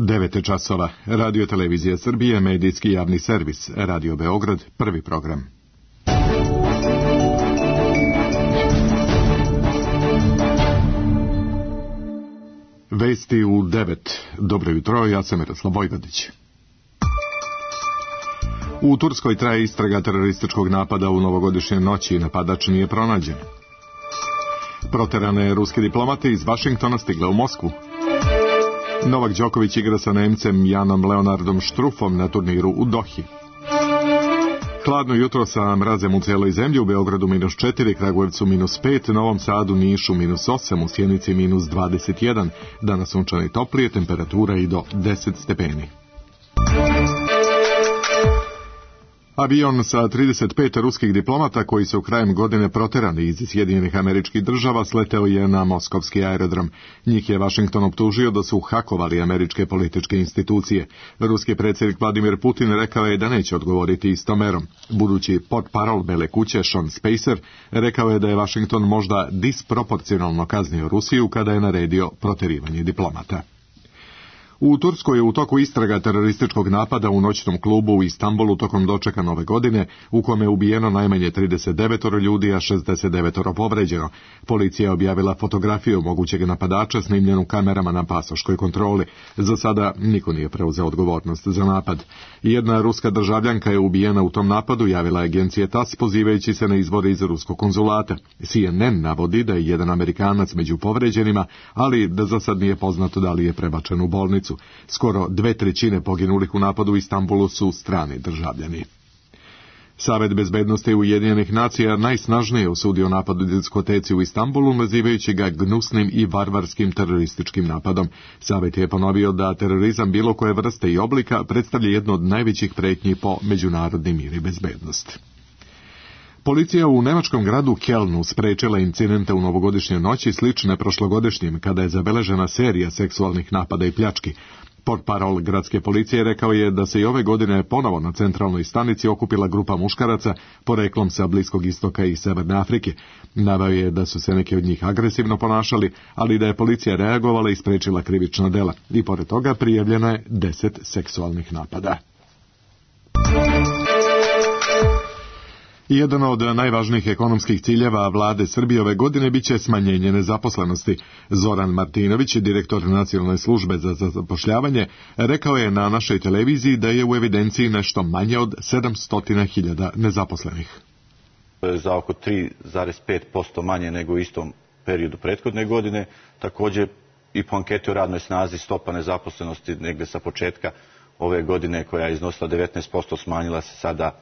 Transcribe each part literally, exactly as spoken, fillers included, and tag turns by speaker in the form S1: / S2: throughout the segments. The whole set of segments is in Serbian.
S1: devet časova. Radio Televizija Srbije, medijski javni servis. Radio Beograd, prvi program. Vesti u devet. Dobro jutro, ja sam Miroslav Vojvodić. U Turskoj traje istraga terorističkog napada u novogodišnje noći i napadač nije pronađen. Proterane ruske diplomate iz Vašingtona stigle u Moskvu. Novak Đoković igra sa Nemcem Janom Leonardom Štrufom na turniru u Dohi. Hladno jutro sa mrazem u cijeloj zemlji, u Beogradu minus četiri, Kragujevcu minus pet, Novom Sadu, Nišu minus osam, u Sjenici minus dvadeset jedan. Danas sunčano i toplije, temperatura i do deset stepeni. Avion sa trideset pet ruskih diplomata koji su krajem godine proterani iz Sjedinjenih Američkih Država sleteo je na moskovski aerodrom. Njih je Vašington optužio da su hakovali američke političke institucije. Ruski predsjednik Vladimir Putin rekao je da neće odgovoriti istom merom. Budući portparol Bele kuće Sean Spicer rekao je da je Vašington možda disproporcionalno kaznio Rusiju kada je naredio proterivanje diplomata. U Turskoj je u toku istraga terorističkog napada u noćnom klubu u Istanbulu tokom dočeka nove godine, u kome je ubijeno najmanje trideset devet ljudi, a šezdeset devet povređeno. Policija je objavila fotografiju mogućeg napadača snimljenu kamerama na pasoškoj kontroli. Za sada niko nije preuzeo odgovornost za napad. Jedna ruska državljanka je ubijena u tom napadu, javila agencija TASS pozivajući se na izvore iz ruskog konzulata. C N N navodi da je jedan Amerikanac među povređenima, ali da za sad nije poznato da li je prebačen u bolnicu. Skoro dve trećine poginulih u napadu u Istanbulu su strani državljani. Savet bezbednosti Ujedinjenih nacija najsnažnije osudio napad u diskoteci u Istanbulu, nazivajući ga gnusnim i varvarskim terorističkim napadom. Savet je ponovio da terorizam bilo koje vrste i oblika predstavlja jednu od najvećih pretnji po međunarodni mir i bezbednost. Policija u nemačkom gradu Kelnu sprečila incidente u novogodišnjoj noći slične prošlogodišnjim, kada je zabeležena serija seksualnih napada i pljački. Portparol gradske policije rekao je da se i ove godine ponovo na centralnoj stanici okupila grupa muškaraca poreklom sa Bliskog istoka i Severne Afrike. Naveo je da su se neki od njih agresivno ponašali, ali da je policija reagovala i sprečila krivična dela. I pored toga prijavljeno je deset seksualnih napada. Jedan od najvažnijih ekonomskih ciljeva vlade Srbije ove godine biće smanjenje nezaposlenosti. Zoran Martinović, direktor Nacionalne službe za zapošljavanje, rekao je na našoj televiziji da je u evidenciji nešto manje od sedamsto hiljada nezaposlenih.
S2: Za oko tri zarez pet posto manje nego u istom periodu prethodne godine. Također i po anketi o radnoj snazi stopa nezaposlenosti negdje sa početka ove godine koja je iznosila devetnaest posto smanjila se sada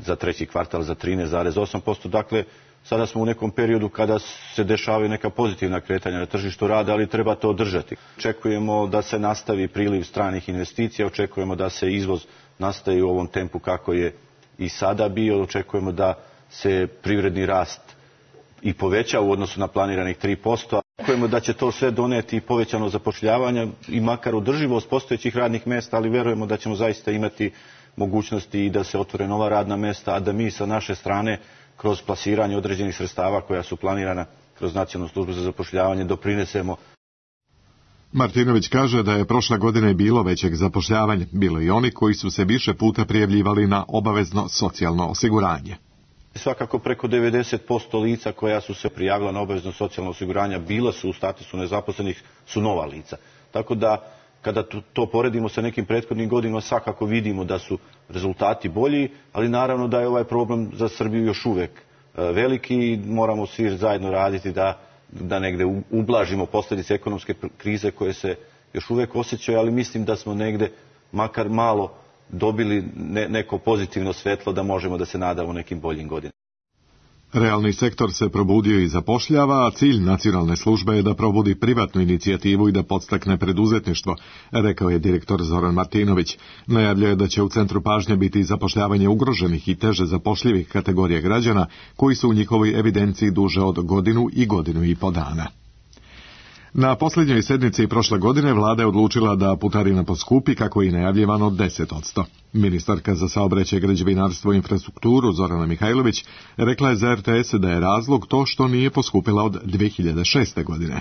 S2: za treći kvartal za trinaest zarez osam posto. Dakle, sada smo u nekom periodu kada se dešavaju neka pozitivna kretanja na tržištu rada, ali treba to održati. Očekujemo da se nastavi priliv stranih investicija, očekujemo da se izvoz nastavi u ovom tempu kako je i sada bio, očekujemo da se privredni rast i poveća u odnosu na planiranih tri posto. Očekujemo da će to sve doneti povećano zapošljavanje i makar održivost postojećih radnih mjesta, ali vjerujemo da ćemo zaista imati mogućnosti i da se otvore nova radna mjesta, a da mi sa naše strane kroz plasiranje određenih sredstava koja su planirana kroz Nacionalnu službu za zapošljavanje doprinesemo.
S1: Martinović kaže da je prošle godine bilo većeg zapošljavanja, bilo i oni koji su se više puta prijavljivali na obavezno socijalno osiguranje.
S2: Svakako preko devedeset posto lica koja su se prijavila na obavezno socijalno osiguranje bila su u statusu nezaposlenih, su nova lica. Tako da kada to poredimo sa nekim prethodnim godinama, svakako vidimo da su rezultati bolji, ali naravno da je ovaj problem za Srbiju još uvijek veliki i moramo svi zajedno raditi da, da negdje ublažimo posljedice ekonomske krize koje se još uvijek osjećaju, ali mislim da smo negdje makar malo dobili ne, neko pozitivno svetlo da možemo da se nadamo nekim boljim godinama.
S1: Realni sektor se probudio i zapošljava, a cilj Nacionalne službe je da probudi privatnu inicijativu i da podstakne preduzetništvo, rekao je direktor Zoran Martinović. Najavljuje da će u centru pažnje biti zapošljavanje ugroženih i teže zapošljivih kategorija građana koji su u njihovoj evidenciji duže od godinu i godinu i po dana. Na posljednjoj sednici prošle godine vlada je odlučila da putarina poskupi kako je najavljivano deset posto. Ministarka za saobraćaj, građevinarstvo i infrastrukturu Zorana Mihajlović rekla je za R T S da je razlog to što nije poskupila od dve hiljade šeste. godine.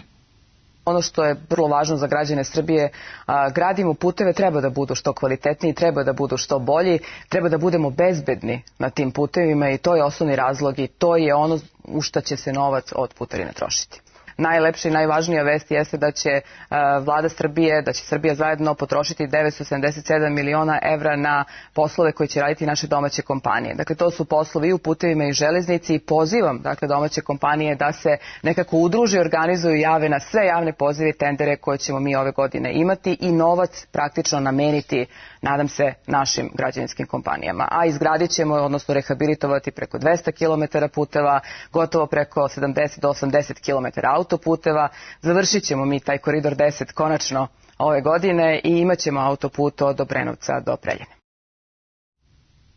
S3: Ono što je vrlo važno za građane Srbije, a, gradimo puteve, treba da budu što kvalitetniji, treba da budu što bolji, treba da budemo bezbedni na tim putevima i to je osnovni razlog i to je ono u šta će se novac od putarine trošiti. Najlepša i najvažnija vest jeste da će uh, vlada Srbije, da će Srbija zajedno potrošiti devetsto sedamdeset sedam miliona evra na poslove koje će raditi naše domaće kompanije. Dakle, to su poslovi i u putevima i železnici i pozivam dakle, domaće kompanije da se nekako udruže, organizuju, jave na sve javne pozive i tendere koje ćemo mi ove godine imati i novac praktično nameniti, nadam se, našim građevinskim kompanijama. A izgradit ćemo, odnosno rehabilitovati preko dvesta kilometara puteva, gotovo preko sedamdeset do osamdeset kilometara autoputeva. Završit ćemo mi taj koridor deset konačno ove godine i imat ćemo autoput od Obrenovca do Preljine.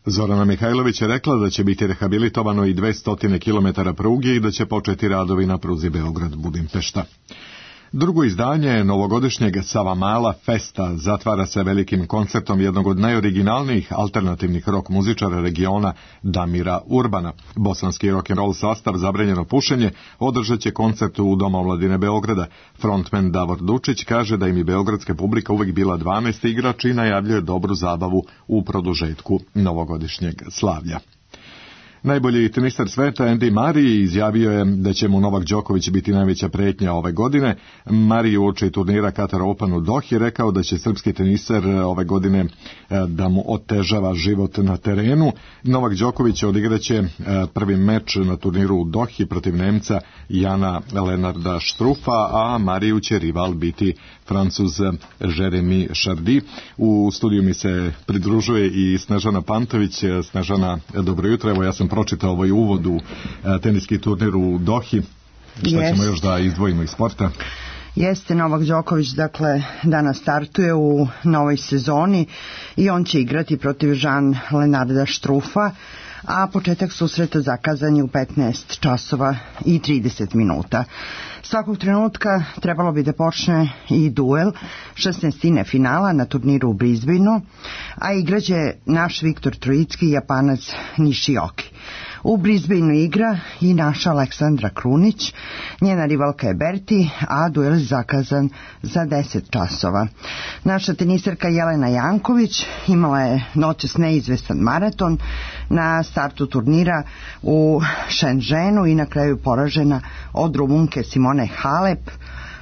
S1: Zorana Mihajlović je rekla da će biti rehabilitovano i dvesta kilometara pruge i da će početi radovi na pruzi Beograd-Budimpešta. Drugo izdanje novogodišnjeg Savamala Festa zatvara se velikim koncertom jednog od najoriginalnijih alternativnih rock muzičara regiona, Damira Urbana. Bosanski rock'n'roll sastav Zabranjeno pušenje održat će koncert u Domu omladine Beograda. Frontman Davor Dučić kaže da im je beogradska publika uvek bila dvanaesti igrač i najavljuje dobru zabavu u produžetku novogodišnjeg slavlja. Najbolji teniser sveta Andy Murray izjavio je da će mu Novak Đoković biti najveća pretnja ove godine. Murray uoči turnira Qatar Open u Dohi rekao da će srpski teniser ove godine da mu otežava život na terenu. Novak Đoković odigraće prvi meč na turniru u Dohi protiv Nemca Jana Lenarda Štrufa, a Mariju će rival biti Francuz Jeremy Chardy. U studiju mi se pridružuje i Snežana Pantović. Snežana, dobro jutro. Evo, ja sam pročitao ovaj uvod u teniski turnir u Dohi. Šta ćemo još da izdvojimo iz sporta?
S4: Jeste, Novak Đoković, dakle, danas startuje u novoj sezoni i on će igrati protiv Jean Lenarda Štrufa, a početak susreta zakazan je u petnaest časova i trideset minuta. Svakog trenutka trebalo bi da počne i duel šesnaestine finala na turniru u Brisbaneu, a igraće naš Viktor Trojicki i Japanac Nishioki. U Brisbaneu igra i naša Aleksandra Krunić, njena rivalka je Berti, a duel je zakazan za deset časova. Naša teniserka Jelena Janković imala je noćas neizvestan maraton na startu turnira u Shenzhenu i na kraju poražena od Rumunke Simone Halep.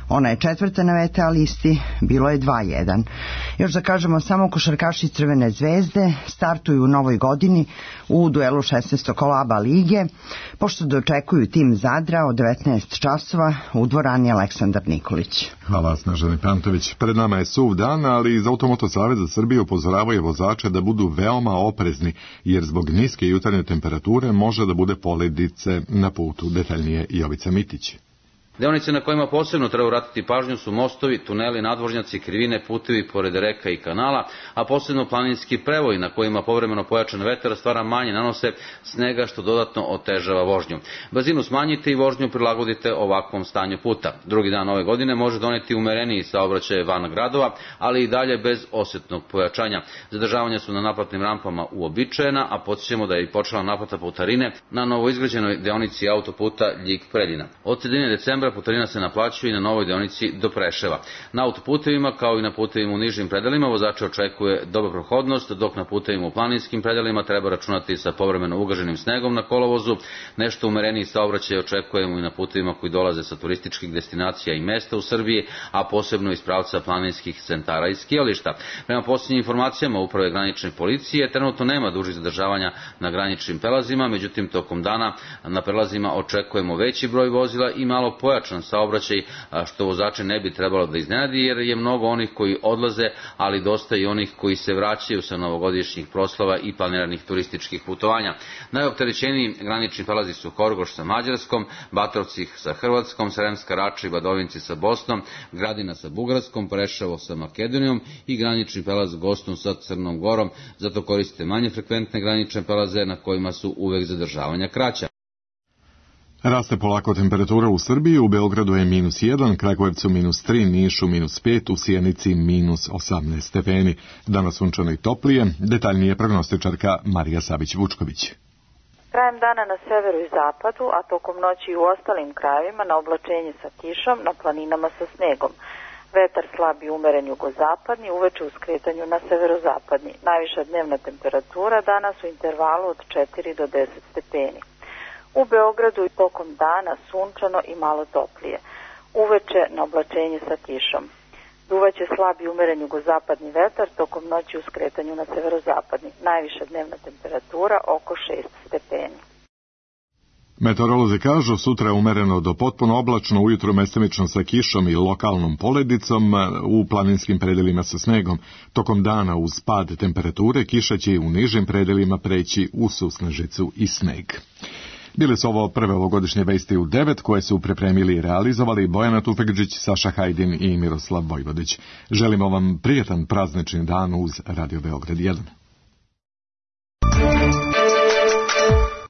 S4: Ona je četvrta na V T A listi, bilo je dva jedan. Još da kažemo, samo košarkaši Crvene zvezde startuju u novoj godini u duelu šesnaestog kola A B A lige, pošto dočekuju tim Zadra od devetnaest časova u dvorani Aleksandar Nikolić.
S1: Hvala, Snežani Pantović. Pred nama je suv dan, ali iz Automoto Saveza Srbije upozoravaju vozače da budu veoma oprezni, jer zbog niske jutarnje temperature može da bude poledice na putu. Detaljnije Jovica Mitić.
S5: Deonice na kojima posebno treba vratiti pažnju su mostovi, tuneli, nadvožnjaci, krivine, putevi pored reka i kanala, a posebno planinski prevoji na kojima povremeno pojačan vetar stvara manje nanose snega što dodatno otežava vožnju. Brzinu smanjite i vožnju prilagodite ovakvom stanju puta. Drugi dan ove godine može doneti umereniji saobraćaj van gradova, ali i dalje bez osjetnog pojačanja. Zadržavanja su na naplatnim rampama uobičajena, a podsjećamo da je i počela naplata putarine na novoizgrađenoj deonici autoputa Ljig-Preljina. Od sredine decembra putarina se naplaćuje i na novoj deonici do Preševa. Na autoputevima kao i na putevima u nižim predelima vozače očekuje dobra prohodnost, dok na putevima u planinskim predelima treba računati sa povremeno ugaženim snegom na kolovozu. Nešto umereniji saobraćaj očekujemo i na putevima koji dolaze sa turističkih destinacija i mesta u Srbiji, a posebno iz pravca planinskih centara i skijališta. Prema posljednjim informacijama Uprave granične policije, trenutno nema dužih zadržavanja na graničnim prelazima, međutim tokom dana na prelazima očekujemo veći broj vozila i malo pojačan saobraćaj, što vozače ne bi trebalo da iznenadi, jer je mnogo onih koji odlaze, ali dosta i onih koji se vraćaju sa novogodišnjih proslava i planiranih turističkih putovanja. Najopterećeniji granični prelazi su Horgoš sa Mađarskom, Batrovci sa Hrvatskom, Sremska Rača i Badovinci sa Bosnom, Gradina sa Bugarskom, Preševo sa Makedonijom i granični prelaz Gostom sa Crnom Gorom. Zato koristite manje frekventne granične prelaze na kojima su uvek zadržavanja kraća.
S1: Raste polako temperatura u Srbiji, u Beogradu je minus jedan, Kragujevcu minus tri, Nišu minus pet, u Sjenici minus osamnaest stepeni. Danas sunčano i toplije, detaljnije prognostičarka Marija Savić-Vučković.
S6: Krajem dana na severu i zapadu, a tokom noći i u ostalim krajevima na oblačenje sa kišom, na planinama sa snegom. Vetar slab i umeren jugozapadni, uveče u skretanju na severozapadni. Najviša dnevna temperatura danas u intervalu od četiri do deset stepeni. U Beogradu i tokom dana sunčano i malo toplije. Uveče na oblačenje sa kišom. Duvaće slab i umeren jugozapadni vetar, tokom noći u skretanju na severozapadni. Najviša dnevna temperatura oko šest stepeni.
S1: Meteorolozi kažu sutra je umereno do potpuno oblačno, ujutro mestimično sa kišom i lokalnom poledicom, u planinskim predelima sa snegom. Tokom dana uz pad temperature kiša će i u nižim predelima preći u susnežicu i sneg. Bile su ovo prve ovogodišnje vesti u devet koje su pripremili i realizovali Bojana Tufekđić, Saša Hajdin i Miroslav Vojvodić. Želimo vam prijetan praznični dan uz Radio Beograd jedan.